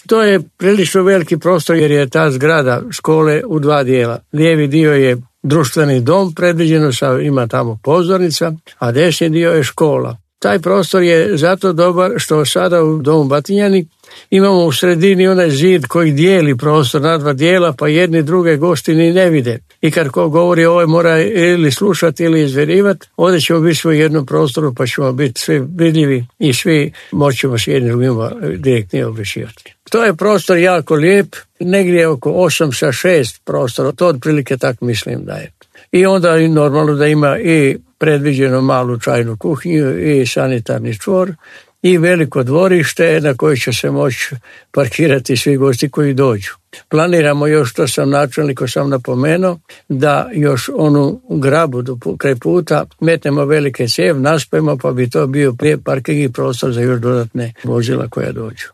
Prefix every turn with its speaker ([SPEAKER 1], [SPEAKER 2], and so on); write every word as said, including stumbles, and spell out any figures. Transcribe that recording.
[SPEAKER 1] To je prilično veliki prostor jer je ta zgrada škole u dva dijela. Lijevi dio je društveni dom predviđeno, ima tamo pozornica, a desni dio je škola. Taj prostor je zato dobar što sada u domu Batinjani imamo u sredini onaj zid koji dijeli prostor na dva dijela, pa jedni druge gosti ni ne vide. I kad ko govori ovaj mora ili slušati ili izverivati, ovdje ćemo biti u jednom prostoru pa ćemo biti svi vidljivi i svi moćemo s jednim drugima direktno objašnjavati. To je prostor jako lijep, negdje oko osam sa šest prostora, to otprilike tako mislim da je. I onda je normalno da ima i predviđeno malu čajnu kuhinju i sanitarni čvor i veliko dvorište na koje će se moći parkirati svi gosti koji dođu. Planiramo još, što sam načelniku sam napomenuo, da još onu grabu do kraj puta metnemo velike cijev, naspojimo pa bi to bio prije parking i prostor za još dodatne vozila koja dođu.